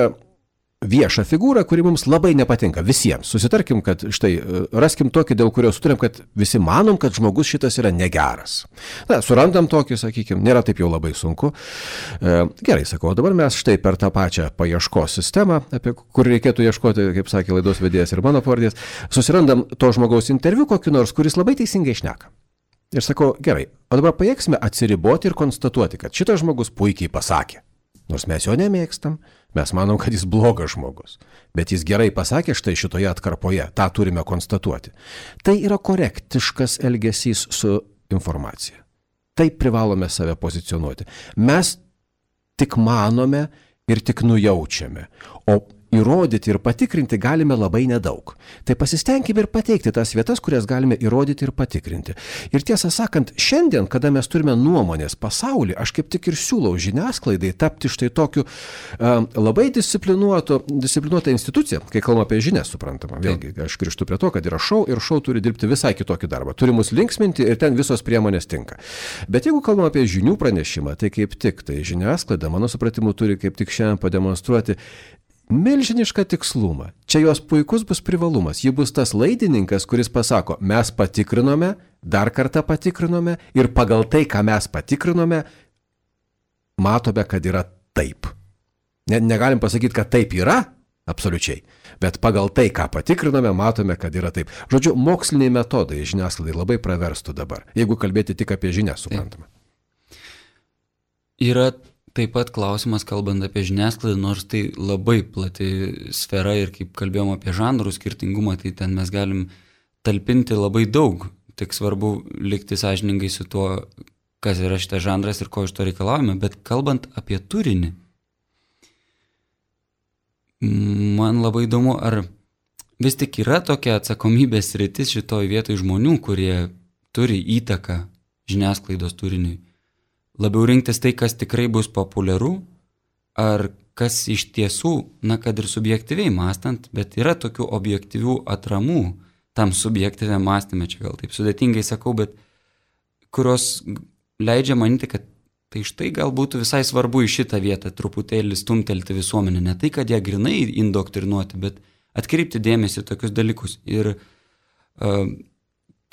viešą figūrą, kuri mums labai nepatinka. Visiems. Susitarkim, kad štai raskim tokį, dėl kurio sutarėm, kad visi manom, kad žmogus šitas yra negeras. Na, surandam tokį, sakykime, nėra taip jau labai sunku. Gerai, sakau, dabar mes štai per tą pačią paieškos sistemą, apie kur reikėtų ieškoti, kaip sakė laidos vedėjas ir mano pavardės, susirandam to žmogaus interviu kokį nors, kuris labai teisingai šneka. Ir sakau, gerai, o dabar pajėgsime atsiriboti ir konstatuoti, kad šitas žmogus puikiai pasakė. Nors mes jo nemėgstam, mes manom, kad jis blogas žmogus. Bet jis gerai pasakė štai šitoje atkarpoje, tą turime konstatuoti. Tai yra korektiškas elgesys su informacija. Taip privalome save pozicionuoti. Mes tik manome ir tik nujaučiame, o įrodyti ir patikrinti galime labai nedaug. Tai pasistengime ir pateikti tas vietas, kurias galime įrodyti ir patikrinti. Ir tiesą sakant, šiandien, kada mes turime nuomonės pasaulį, aš kaip tik ir siūlau žiniasklaidai tapti štai tokiu labai disciplinuotą instituciją, kai kalbame apie žinias, suprantama. Vėlgi, aš grįžtu prie to, kad yra šou ir šou turi dirbti visai kitokį darbą. Turi mus linksminti ir ten visos priemonės tinka. Bet jeigu kalbame apie žinių pranešimą, tai kaip tik tai žiniasklaida, mano supratimu, turi kaip tik šiandien pademonstruoti milžinišką tikslumą. Čia jos puikus bus privalumas. Ji bus tas laidininkas, kuris pasako, mes patikrinome, dar kartą patikrinome ir pagal tai, ką mes patikrinome, matome, kad yra taip. Negalim pasakyti, kad taip yra, absoliučiai, bet pagal tai, ką patikrinome, matome, kad yra taip. Žodžiu, moksliniai metodai žiniasklaidai labai praverstų dabar, jeigu kalbėti tik apie žinias, suprantama. Yra taip pat klausimas, kalbant apie žiniasklaidą, nors tai labai plati sfera ir kaip kalbėjom apie žanrų skirtingumą, tai ten mes galim talpinti labai daug. Tik svarbu likti sąžiningai su tuo, kas yra šitas žanras ir ko iš to reikalavome. Bet kalbant apie turinį, man labai įdomu, ar vis tik yra tokia atsakomybės sritis šitoj vietoj žmonių, kurie turi įtaką žiniasklaidos turiniui. Labiau rinktis tai, kas tikrai bus populiaru, ar kas iš tiesų, na, kad ir subjektyviai mąstant, bet yra tokių objektyvių atramų tam subjektyviam mąstyme, čia gal taip sudėtingai sakau, bet kurios leidžia manyti, kad tai štai gal būtų visai svarbu į šitą vietą truputėlį stumtelti visuomenę. Ne tai, kad ją grinai indoktrinuoti, bet atkreipti dėmesį tokius dalykus. Ir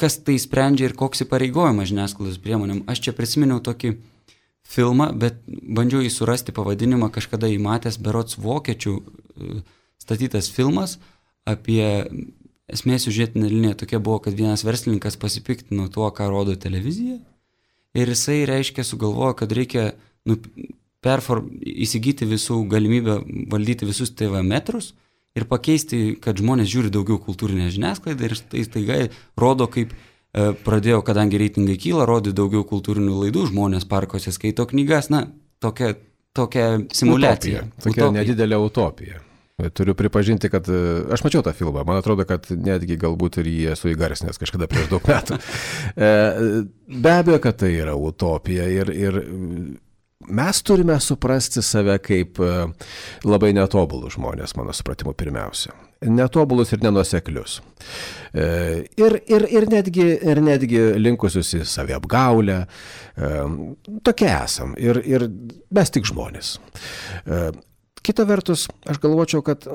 kas tai sprendžia ir koks įpareigojimas žiniasklaidos priemonėm. Aš čia prisiminiau tokį filmą, bet bandžiau jį surasti pavadinimą, kažkada įmatęs berods vokiečių statytas filmas apie esmė siužetinė linija tokia buvo, kad vienas verslininkas pasipiktino tuo, ką rodo televizija ir jisai reiškia sugalvojo, kad reikia įsigyti visų galimybę valdyti visus TV metrus ir pakeisti, kad žmonės žiūri daugiau kultūrinę žiniasklaidą ir tai staiga rodo, kaip pradėjo, kadangi reitingai kyla, rodė daugiau kultūrinių laidų, žmonės parkuose skaito knygas, na, tokia simuliacija. Tokia nedidelė utopija. Turiu pripažinti, kad aš mačiau tą filmą, man atrodo, kad netgi galbūt ir jį esu įgarsinęs kažkada prieš daug metų. Be abejo, kad tai yra utopija ir mes turime suprasti save kaip labai netobulus žmonės, mano supratimu, pirmiausia. Netobulus ir nenuoseklius. Ir netgi linkusius į saviapgaulę. Tokie esam. Ir mes tik žmonės. Kita vertus, aš galvočiau, kad,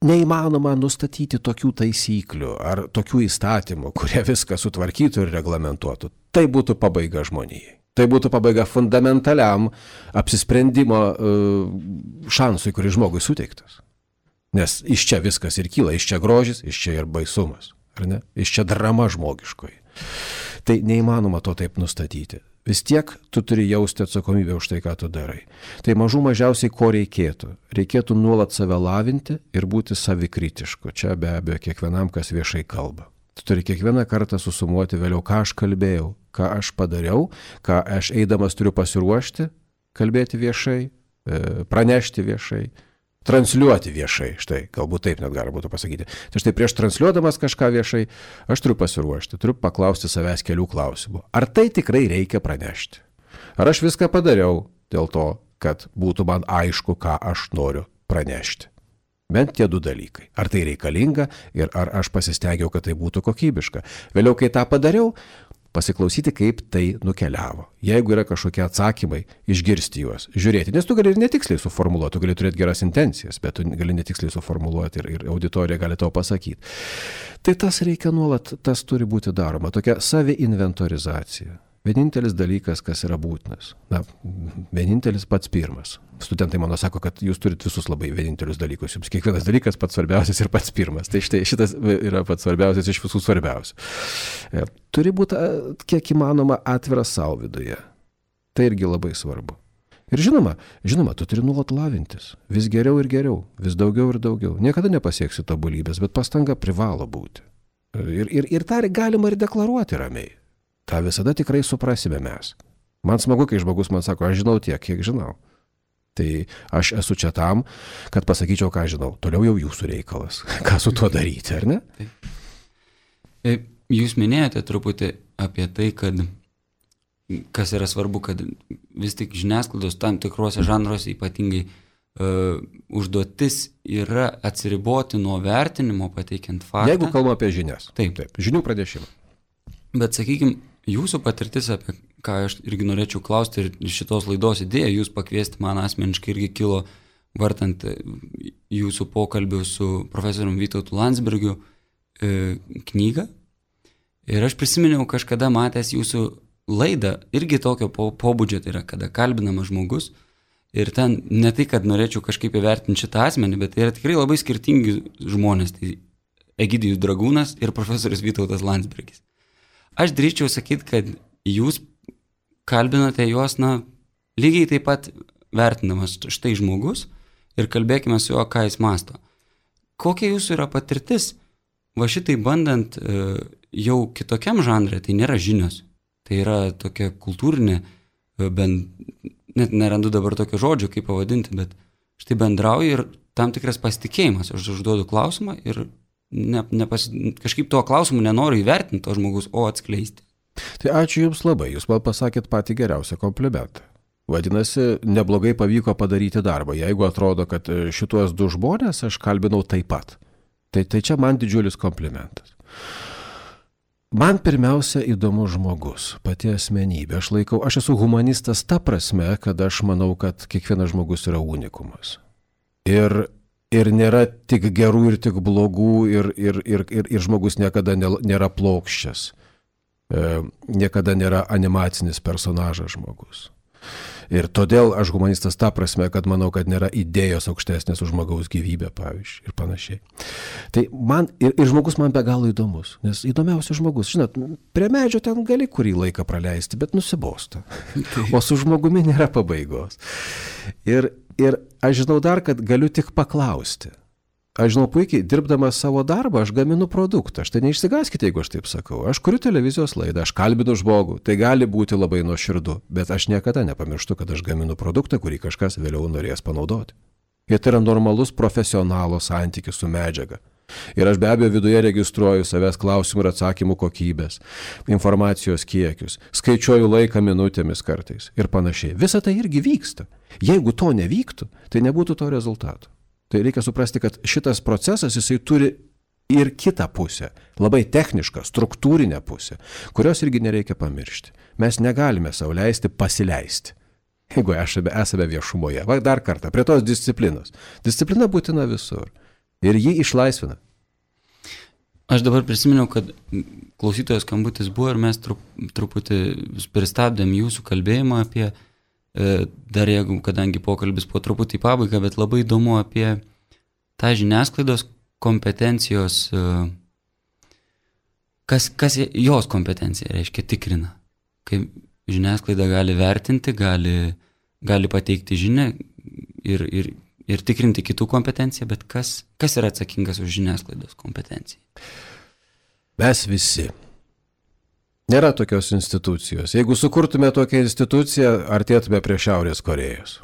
neįmanoma nustatyti tokių taisyklių ar tokių įstatymų, kurie viską sutvarkytų ir reglamentuotų. Tai būtų pabaiga žmonijai. Tai būtų pabaiga fundamentaliam apsisprendimo šansui, kuris žmogui suteiktas. Nes iš čia viskas ir kyla, iš čia grožis, iš čia ir baisumas. Ar ne? Iš čia drama žmogiškoji. Tai neįmanoma to taip nustatyti. Vis tiek tu turi jausti atsakomybę už tai, ką tu darai. Tai mažų mažiausiai ko reikėtų. Reikėtų nuolat save lavinti ir būti savikritišku. Čia be abejo kiekvienam, kas viešai kalba. Tu turi kiekvieną kartą susumuoti vėliau, ką aš kalbėjau, ką aš padariau, ką aš eidamas turiu pasiruošti, kalbėti viešai, pranešti viešai, transliuoti viešai, štai, galbūt taip net galima būtų pasakyti. Tai štai prieš transliuodamas kažką viešai, aš turiu pasiruošti, turiu paklausti savęs kelių klausimų. Ar tai tikrai reikia pranešti? Ar aš viską padariau dėl to, kad būtų man aišku, ką aš noriu pranešti? Bent tie 2 dalykai. Ar tai reikalinga ir ar aš pasistengiau, kad tai būtų kokybiška? Vėliau, kai tą padariau, pasiklausyti, kaip tai nukeliavo. Jeigu yra kažkokie atsakymai, išgirsti juos, žiūrėti. Nes tu gali ir netiksliai suformuluoti, tu gali turėti geras intencijas, bet tu gali netiksliai suformuluoti ir auditorija gali tau pasakyti. Tai tas reikia nuolat, tas turi būti daroma. Tokia saviinventorizacija. Vienintelis dalykas, kas yra būtinas. Na, vienintelis pats pirmas. Studentai mano sako, kad jūs turite visus labai vienintelius dalykus. Jums kiekvienas dalykas pats svarbiausias ir pats pirmas. Tai štai šitas yra pats svarbiausias iš visų svarbiausių. Turi būti kiek įmanoma atviras savo viduje. Tai irgi labai svarbu. Ir žinoma, tu turi nuolat lavintis. Vis geriau ir geriau. Vis daugiau ir daugiau. Niekada nepasieksi tobulybės, bet pastanga privalo būti. Ir tą galima ir deklaruoti ramiai. tą visada tikrai suprasime mes. Man smagu, kai žmogus man sako, aš žinau tiek, kiek žinau. Tai aš esu čia tam, kad pasakyčiau, ką žinau. Toliau jau jūsų reikalas. Ką su tuo daryti, ar ne? Taip. Jūs minėjote truputį apie tai, kad kas yra svarbu, kad vis tik žiniasklaidos tam tikruose žanruose ypatingai užduotis yra atsiriboti nuo vertinimo, pateikiant faktą. Jeigu kalbame apie žinias. Taip. Žinių pranešimą. Bet sakykime, jūsų patirtis, apie ką aš irgi norėčiau klausti ir šitos laidos idėja, jūs pakviesti man asmeniškai irgi kilo vartant jūsų pokalbių su profesorium Vytautu Landsbergiu knygą. Ir aš prisiminiau kažkada matęs jūsų laidą, irgi tokio pobūdžio, tai yra, kada kalbinamas žmogus. Ir ten ne tai, kad norėčiau kažkaip įvertinti šitą asmenį, bet tai yra tikrai labai skirtingi žmonės. Tai Egidijus Dragūnas ir profesorius Vytautas Landsbergis. Aš drįsčiau sakyti, kad jūs kalbinote juos, lygiai taip pat vertinamas štai žmogus ir kalbėkime su juo, ką jis mąsto. Kokia jūsų yra patirtis, va šitai bandant jau kitokiam žanrė, tai nėra žinios, tai yra tokia kultūrinė, net nerandu dabar tokio žodžio, kaip pavadinti, bet štai bendrauju ir tam tikras pasitikėjimas. Aš užduodu klausimą ir kažkaip tuo klausimu nenoriu įvertinti to žmogus, o atskleisti. Tai ačiū Jums labai, Jūs man pasakėt patį geriausią komplimentą. Vadinasi, neblogai pavyko padaryti darbą, jeigu atrodo, kad šituos du žmonės aš kalbinau taip pat. Tai čia man didžiulis komplimentas. Man pirmiausia įdomus žmogus, pati asmenybė. Aš esu humanistas ta prasme, kad aš manau, kad kiekvienas žmogus yra unikumas. Ir nėra tik gerų ir tik blogų, ir žmogus niekada nėra plokščias. Niekada nėra animacinis personažas žmogus. Ir todėl aš humanistas ta prasme, kad manau, kad nėra idėjos aukštesnės už žmogaus gyvybę, pavyzdžiui, ir panašiai. Tai man, ir žmogus man be galo įdomus, nes įdomiausias žmogus, žinot, prie medžio ten gali kurį laiką praleisti, bet nusibosta. O su žmogumi nėra pabaigos. Ir aš žinau dar, kad galiu tik paklausti. Aš žinau puikiai, dirbdamas savo darbą, aš gaminu produktą. Štai neišsigaskite, jeigu aš taip sakau. Aš kuriu televizijos laidą, aš kalbinu žmogų. Tai gali būti labai nuoširdu, bet aš niekada nepamirštu, kad aš gaminu produktą, kurį kažkas vėliau norės panaudoti. Ir tai yra normalus profesionalo santykis su medžiaga. Ir aš be abejo viduje registruoju savęs klausimų ir atsakymų kokybės, informacijos kiekius, skaičiuoju laiką minutėmis kartais ir panašiai. Visa tai irgi vyksta. Jeigu to nevyktų, tai nebūtų to rezultato. Tai reikia suprasti, kad šitas procesas, jisai turi ir kitą pusę, labai technišką, struktūrinę pusę, kurios irgi nereikia pamiršti. Mes negalime sau leisti pasileisti, jeigu esame viešumoje. Va dar kartą, prie tos disciplinos. Disciplina būtina visur. ir jį išlaisvina. Aš dabar prisiminiau, kad klausytojos skambutis buvo ir mes truputį pristabdėm jūsų kalbėjimą apie, dar jeigu, kadangi pokalbis po truputį į pabaigą, bet labai įdomu apie tą žiniasklaidos kompetencijos, kas jos kompetencija reiškia tikrina. Kai žiniasklaida gali vertinti, gali pateikti žinią ir tikrinti kitų kompetenciją, bet kas yra atsakingas už žiniasklaidos kompetenciją? Mes visi. Nėra tokios institucijos. Jeigu sukurtume tokią instituciją, artėtume prie Šiaurės Korėjos.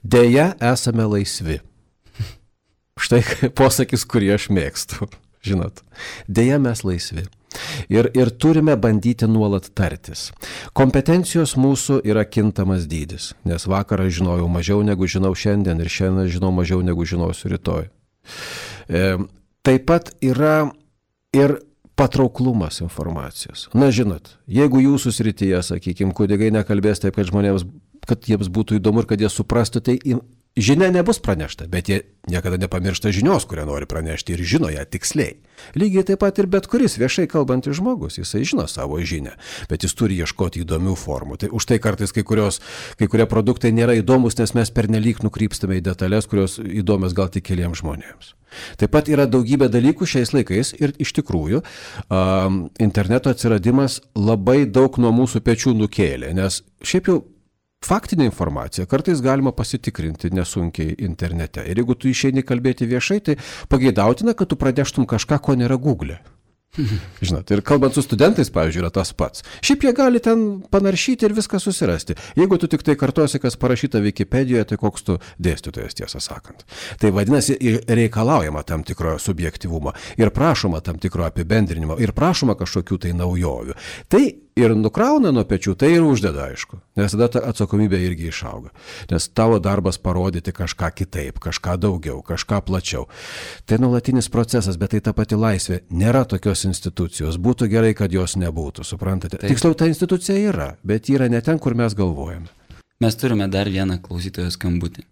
Deja, esame laisvi. Štai posakis, kurį aš mėgstu. Žinot, deja mes laisvi. Ir turime bandyti nuolat tartis. Kompetencijos mūsų yra kintamas dydis, nes vakarą žinojau mažiau negu žinau šiandien ir šiandien žinau mažiau negu žinosiu rytoj. Taip pat yra ir patrauklumas informacijos. Na, žinot, jeigu jūsų srityje, sakykime, kunigai nekalbės taip, kad žmonėms, kad jiems būtų įdomu ir kad jie suprastų, tai žinia nebus pranešta, bet jie niekada nepamiršta žinios, kurią nori pranešti ir žino ją tiksliai. Lygiai taip pat ir bet kuris viešai kalbantis žmogus, jisai žino savo žinią, bet jis turi ieškoti įdomių formų. Tai už tai kartais kai kurie produktai nėra įdomus, nes mes pernelyg nukrypstame į detalės, kurios įdomios gal tik keliems žmonėms. Taip pat yra daugybė dalykų šiais laikais ir iš tikrųjų interneto atsiradimas labai daug nuo mūsų pečių nukėlė, nes šiaip jau faktinė informacija kartais galima pasitikrinti nesunkiai internete. Ir jeigu tu išeini kalbėti viešai, tai pageidautina, kad tu praneštum kažką, ko nėra Google. Žinot, ir kalbant su studentais, pavyzdžiui, yra tas pats. Šiaip jie gali ten panaršyti ir viską susirasti. Jeigu tu tik tai kartuosi, kas parašyta Wikipedijoje, tai koks tu dėstytojas, tiesą sakant. Tai vadinasi, reikalaujama tam tikro subjektyvumo ir prašoma tam tikro apibendrinimo ir prašoma kažkokių tai naujovių. Tai ir nukrauna nuo pečių, tai ir uždeda, aišku, nes tada ta atsakomybė irgi išauga. Nes tavo darbas parodyti kažką kitaip, kažką daugiau, kažką plačiau. Tai nuolatinis procesas, bet tai ta pati laisvė. Nėra tokios institucijos. Būtų gerai, kad jos nebūtų, suprantate? Taip. Tiksliau, ta institucija yra, bet yra ne ten, kur mes galvojame. Mes turime dar vieną klausytojo skambutį.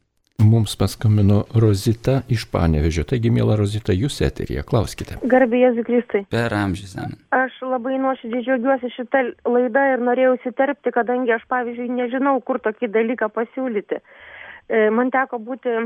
Mums paskambino Rozita iš Panevėžio. Taigi, miela Rozita, jūs eteryje, klauskite. Garbė Jėzui Kristui. Per amžius. Aš labai nuoširdžiai džiaugiuosi šitą laidą ir norėjau įsiterpti, kadangi aš, pavyzdžiui, nežinau, kur tokį dalyką pasiūlyti. Man teko būti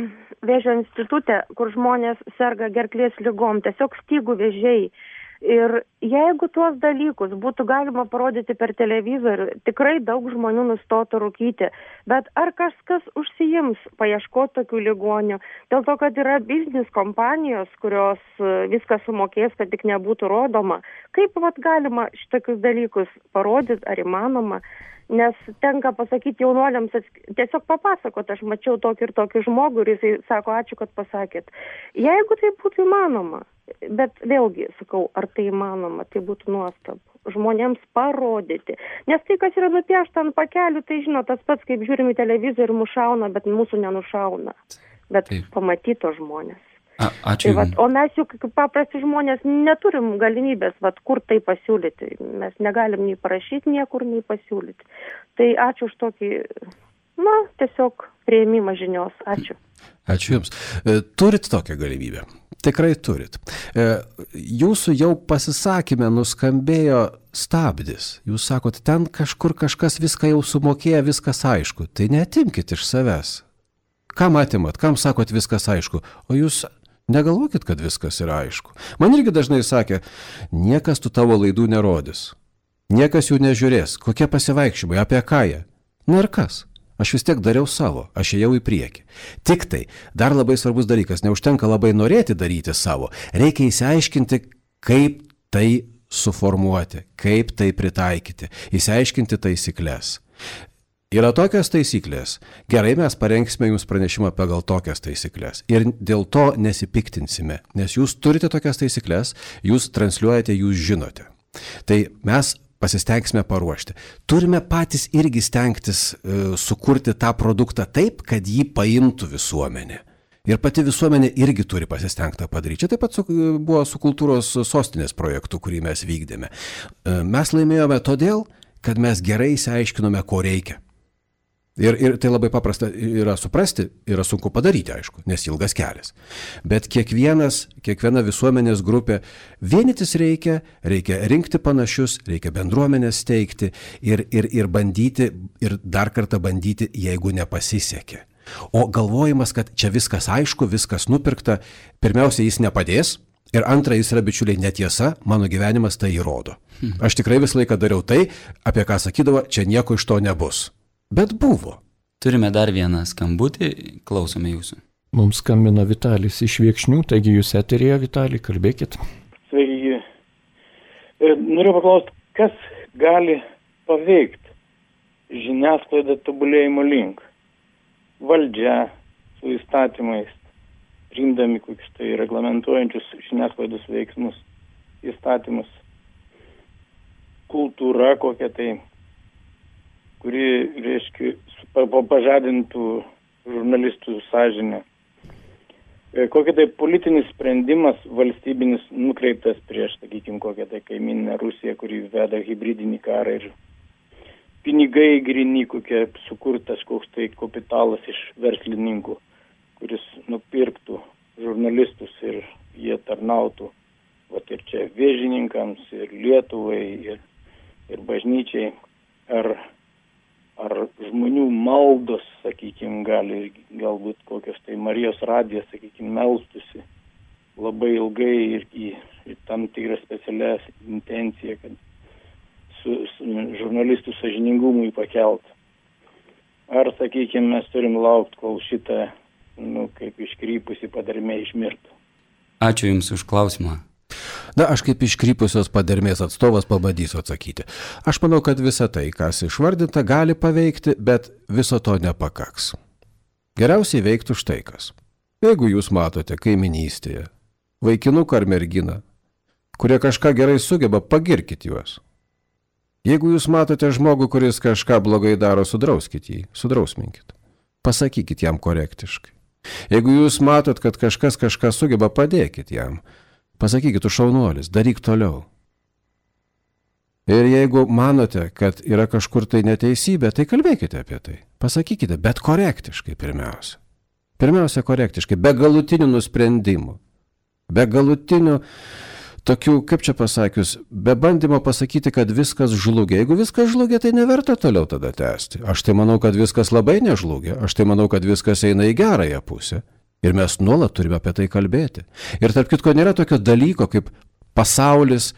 Vėžio institute, kur žmonės serga gerklės ligom, tiesiog stygų vėžiai. Ir jeigu tuos dalykus būtų galima parodyti per televizorių, tikrai daug žmonių nustotų rūkyti. Bet ar kažkas užsiims paieškoti tokių ligonių? Dėl to, kad yra biznis kompanijos, kurios viską sumokės, kad tik nebūtų rodoma. Kaip galima šitokius dalykus parodyti, ar įmanoma? Nes tenka pasakyti jaunuoliams, tiesiog papasakot, aš mačiau tokį ir tokį žmogų ir jisai sako, ačiū, kad pasakėt. Jeigu tai būtų įmanoma, bet vėlgi, sakau, ar tai įmanoma, tai būtų nuostabu. Žmonėms parodyti. Nes tai, kas yra nupiešta ant pakelių, tai žino tas pats, kaip žiūrim į televizorių ir mušauna, bet mūsų nenušauna. Bet pamatyto žmonės. Ačiū. Tai o mes juk paprasti žmonės neturim galimybės, kur tai pasiūlyti. Mes negalim nei parašyti niekur, nei pasiūlyti. Tai ačiū už tokį, tiesiog priėmimą žinios. Ačiū. Ačiū Jums. Turit tokią galimybę? Tikrai turit. Jūsų jau pasisakymė nuskambėjo stabdis. Jūs sakot, ten kažkur kažkas viską jau sumokėjo, viskas aišku. Tai neatimkit iš savęs. Kam atimat? Kam sakot viskas aišku? O jūs negalvokit, kad viskas yra aišku. Man irgi dažnai sakė, niekas tų tavo laidų nerodys. Niekas jų nežiūrės. Kokie pasivaikščiojimai, apie ką jie? Na ir kas? Aš vis tiek dariau savo, aš ėjau į priekį. Tik tai, dar labai svarbus dalykas, neužtenka labai norėti daryti savo. Reikia įsiaiškinti, kaip tai suformuoti, kaip tai pritaikyti, įsiaiškinti taisyklės. Yra tokios taisyklės. Gerai, mes parengsime jums pranešimą pagal tokias taisyklės. Ir dėl to nesipiktinsime, nes jūs turite tokias taisyklės, jūs transliuojate, jūs žinote. Tai mes pasistengsime paruošti. Turime patys irgi stengtis sukurti tą produktą taip, kad jį paimtų visuomenė. Ir pati visuomenė irgi turi pasistengti padaryti. Čia taip pat buvo su kultūros sostinės projektu, kurį mes vykdėme. Mes laimėjome todėl, kad mes gerai išsiaiškinome, ko reikia. Ir tai labai paprasta yra suprasti, yra sunku padaryti, aišku, nes ilgas kelias. Bet kiekviena visuomenės grupė vienytis reikia rinkti panašius, reikia bendruomenės steigti ir bandyti, ir dar kartą bandyti, jeigu nepasisekė. O galvojimas, kad čia viskas aišku, viskas nupirkta, pirmiausia, jis nepadės. Ir antra, jis yra, bičiuliai, netiesa, mano gyvenimas tai įrodo. Aš tikrai visą laiką dariau tai, apie ką sakydavo, čia nieko iš to nebus. Bet buvo. Turime dar vieną skambutį, klausome jūsų. Mums skambina Vitalis iš Viekšnių, taigi jūs eterėje, Vitalij, kalbėkit. Sveiki. Noriu paklausti, kas gali paveikti žiniasklaidą tobulėjimo link? Valdžia su įstatymais, priimdami kokius tai reglamentuojančius žiniasklaidos veiksmus, įstatymus, kultūra kokia tai, kuri, reiškia, pažadintų žurnalistų sąžinę. Kokia tai politinis sprendimas valstybinis nukreiptas prieš, sakykime, kokią tai kaimyninę Rusiją, kuri veda hibridinį karą ir pinigai grini, kokie sukurtas koks tai kapitalas iš verslininkų, kuris nupirktų žurnalistus ir jie tarnautų, vat ir čia vėžininkams, ir Lietuvai, ir bažnyčiai, ar žmonių maldos, sakykime, galbūt kokios tai Marijos radijas, sakykime, melstusi labai ilgai ir į tam tikrą specialią intenciją, kad su žurnalistų sąžiningumui pakelt. Ar, sakykime, mes turim laukti, kol šitą, kaip iškrypusi padarmė išmirtų. Ačiū Jums už klausimą. Na, aš kaip iškrypusios padermės atstovas pabandysiu atsakyti. Aš manau, kad visa tai, kas išvardinta, gali paveikti, bet viso to nepakaks. Geriausiai veiktų štai kas. Jeigu jūs matote kaiminystėje vaikinuką ar merginą, kurie kažką gerai sugeba, pagirkit juos. Jeigu jūs matote žmogų, kuris kažką blogai daro, sudrauskit jį, sudrausminkit. Pasakykit jam korektiškai. Jeigu jūs matot, kad kažkas kažką sugeba, padėkit jam. Pasakykit, tu šaunuolis, daryk toliau. Ir jeigu manote, kad yra kažkur tai neteisybė, tai kalbėkite apie tai. Pasakykite, bet korektiškai pirmiausia. Pirmiausia korektiškai, be galutinių nusprendimų. Be galutinių tokių, kaip čia pasakius, be bandymo pasakyti, kad viskas žlugė. Jeigu viskas žlugė, tai neverta toliau tada tęsti. Aš tai manau, kad viskas labai nežlugė. Aš tai manau, kad viskas eina į gerąją pusę. Ir mes nuolat turime apie tai kalbėti. Ir tarp kitko, nėra tokio dalyko kaip pasaulis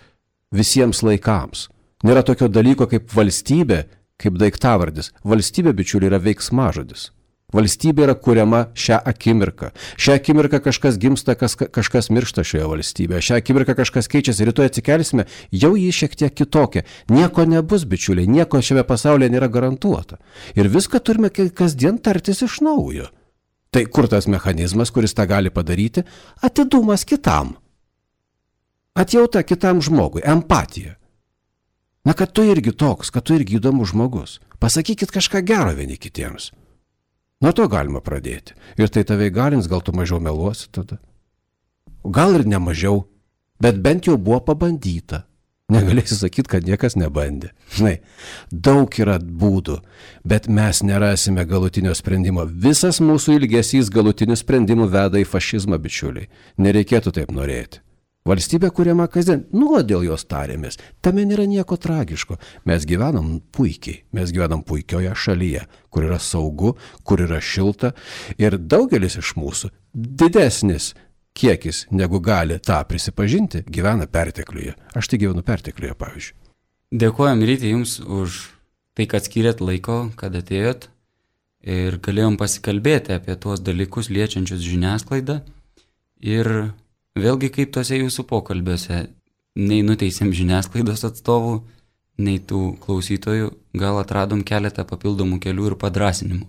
visiems laikams. Nėra tokio dalyko kaip valstybė, kaip daiktavardis. Valstybė, bičiuliai, yra veiksmažodis. Valstybė yra kuriama šią akimirką. Šią akimirką kažkas gimsta, kažkas miršta šioje valstybėje. Šią akimirką kažkas keičiasi. Rytoj atsikelsime, jau jį šiek tiek kitokia. Nieko nebus, bičiuliai, nieko šiame pasaulyje nėra garantuota. Ir viską turime kasdien tartis iš naujo. Tai kur tas mechanizmas, kuris tą gali padaryti? Atidumas kitam. Atjauta kitam žmogui, empatija. Na, kad tu irgi toks, kad tu irgi įdomus žmogus. Pasakykit kažką gero vieni kitiems. Nuo to galima pradėti. Ir tai tave įgalins, gal tu mažiau meluosi tada. Gal ir ne mažiau, bet bent jau buvo pabandyta. Negalėsi sakyti, kad niekas nebandė. Žinai, daug yra būdų, bet mes nerasime galutinio sprendimo. Visas mūsų ilgesys galutinių sprendimų veda į fašizmą, bičiuliai. Nereikėtų taip norėti. Valstybė kuriama kasdien, nuolat dėl jos tarėmės. Tame nėra nieko tragiško. Mes gyvenam puikiai. Mes gyvenam puikioje šalyje, kur yra saugu, kur yra šilta. Ir daugelis iš mūsų, didesnis kiekis, negu gali tą prisipažinti, gyvena pertekliuje. Aš tai gyvenu pertekliuje, pavyzdžiui. Dėkojam Ryti Jums už tai, kad skyrėt laiko, kad atėjot ir galėjom pasikalbėti apie tuos dalykus liečiančius žiniasklaidą. Ir vėlgi kaip tose jūsų pokalbiuose, nei nuteisėm žiniasklaidos atstovų, nei tų klausytojų, gal atradom keletą papildomų kelių ir padrasinimų.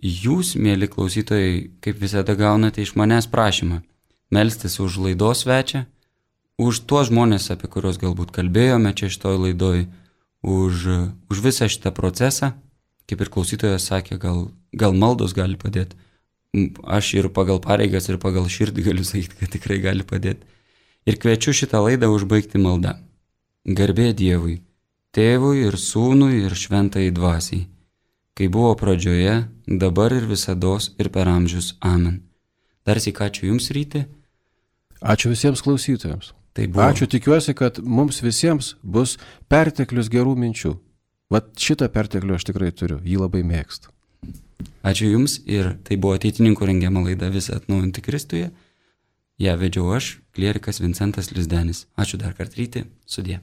Jūs, mėly klausytojai, kaip visada gaunate iš manęs prašymą melstis už laidos svečią, už tuos žmonės, apie kuriuos galbūt kalbėjome čia šitoj laidoj, už visą šitą procesą, kaip ir klausytojas sakė, gal maldos gali padėti. Aš ir pagal pareigas, ir pagal širdį galiu sakyti, kad tikrai gali padėti. Ir kviečiu šitą laidą užbaigti maldą. Garbė Dievui, Tėvui ir Sūnui ir Šventajai Dvasiai, kai buvo pradžioje, dabar ir visados ir per amžius. Amen. Dar sykį ačiū Jums, Ryti. Ačiū visiems klausytojams. Tai buvo. Ačiū, tikiuosi, kad mums visiems bus perteklius gerų minčių. Vat šitą perteklių aš tikrai turiu, jį labai mėgstu. Ačiū Jums ir tai buvo Ateitininkų rengiama laida Visi atnaujinti Kristuje. Ja vedžiau aš, klierikas Vincentas Lizdenis. Ačiū dar kartą, Ryti. Sudie.